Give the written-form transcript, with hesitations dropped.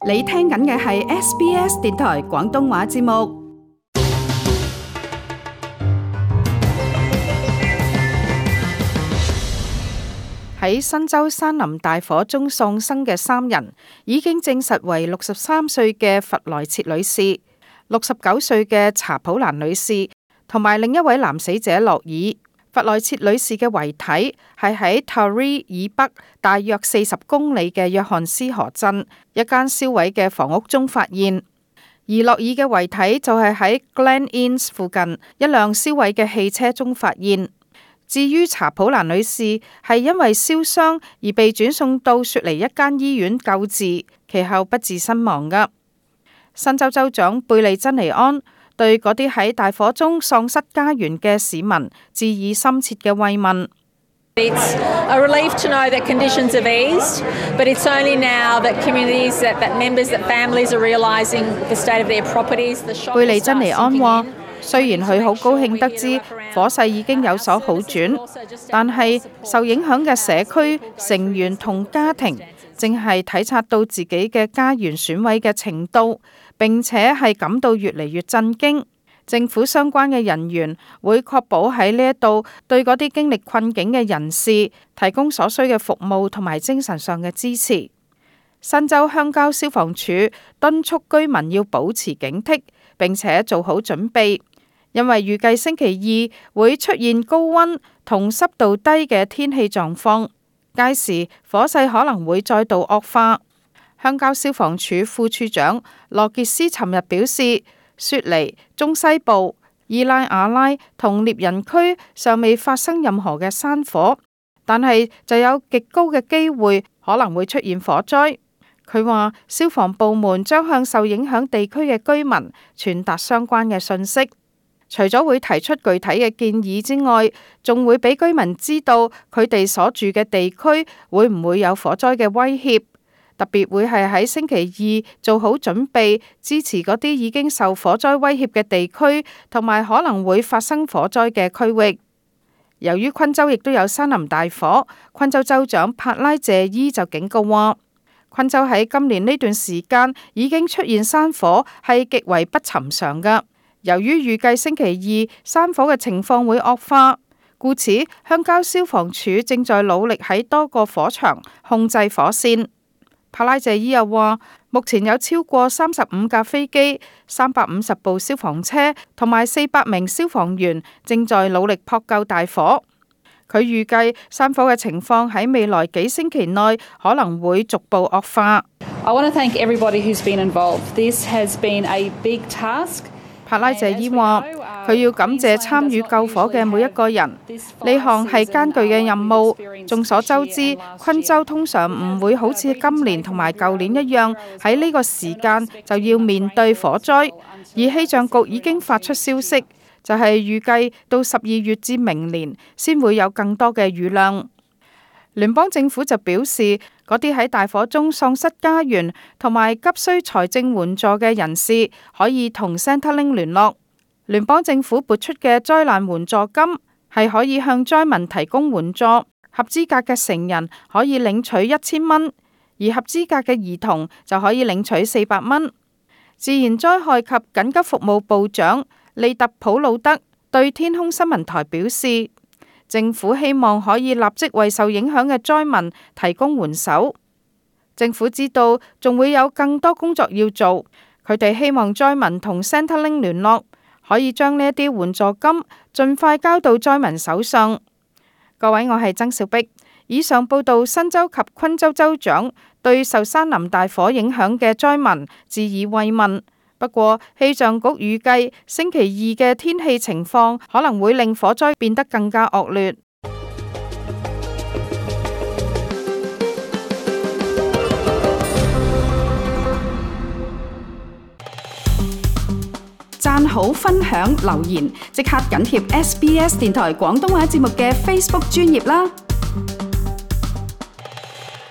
你聽緊嘅係 SBS 電台廣東話節目。喺新州山林大火中喪生嘅3人，已經證實為63歲嘅弗萊切女士、69歲嘅查普蘭女士，同埋另一位男死者洛爾。弗萊切女士嘅遺體係喺 Taree 以北大約40公里嘅約翰斯河鎮一間燒毀嘅房屋中發現，而洛爾嘅遺體就係喺 Glen Innes 附近一輛燒毀嘅汽車中發現。至於查普蘭女士係因為燒傷而被轉送到雪梨一間醫院救治，其後不治身亡㗎。新州州長貝利珍尼安對嗰啲喺大火中喪失家園嘅市民致以深切嘅慰問。It's a relief to know that conditions have eased, but it's only now that communities, that members, that families are realising the state of their properties. 貝利珍尼安話：雖然佢好高興得知火勢已經有所好轉，但係受影響嘅社區成員同家庭正係體察到自己嘅家園損毀嘅程度，並且係感到越嚟越震驚。政府相關嘅人員會確保喺呢一度對嗰啲經歷困境嘅人士提供所需嘅服務同埋精神上嘅支持。新州鄉郊消防處敦促居民要保持警惕，並且做好準備，因為預計星期二會出現高溫同濕度低嘅天氣狀況，屆時火勢可能會再度惡化。鄉郊消防處副處長羅傑斯尋日表示，雪梨、中西部、伊拉瓦拉同獵人區尚未發生任何嘅山火，但係就有極高嘅機會可能會出現火災。佢話消防部門將向受影響地區嘅居民傳達相關嘅信息，除咗會提出具體嘅建議之外，仲會俾居民知道佢哋所住嘅地區會唔會有火災嘅威脅。特別會係喺星期二做好準備，支持嗰啲已經受火災威脅嘅地區，同埋可能會發生火災嘅區域。由於昆州亦都有山林大火，昆州州長帕拉謝伊就警告話，昆州喺今年呢段時間已經出現山火，係極為不尋常㗎。由於預計星期二山火嘅情況會惡化，故此鄉郊消防處正在努力喺多個火場控制火線。帕拉謝伊又話，目前有超過35架飛機、350部消防車同埋400名消防員正在努力撲救大火。佢預計山火嘅情況喺未來幾星期內可能會逐步惡化。I want to thank everybody who's been involved. This has been a big task. 帕拉謝伊話，佢要感謝參與救火嘅每一個人，呢項係艱巨嘅任務。眾所周知，昆州通常唔會好似今年同埋舊年一樣喺呢個時間就要面對火災，而氣象局已經發出消息，就係預計到12月至明年先會有更多嘅雨量。聯邦政府就表示，嗰啲喺大火中喪失家園同埋急需財政援助嘅人士，可以同 Centrelink 聯絡。聯邦政府撥出嘅災難援助金係可以向災民提供援助，合資格嘅成人可以領取1000蚊，而合資格嘅兒童就可以領取400蚊。自然災害及緊急服務部長利特普魯德對天空新聞台表示，政府希望可以立即為受影響嘅災民提供援手。政府知道仲會有更多工作要做，佢哋希望災民同 Centrelink 聯絡，可以將呢一啲援助金盡快交到災民手上。各位，我係曾小碧。以上報道新州及昆州州長對受山林大火影響嘅災民致以慰問。不過，氣象局預計星期二嘅天氣情況可能會令火災變得更加惡劣。讚好、分享、留言，即刻緊貼SBS 電台廣東話節目嘅 Facebook 專頁啦！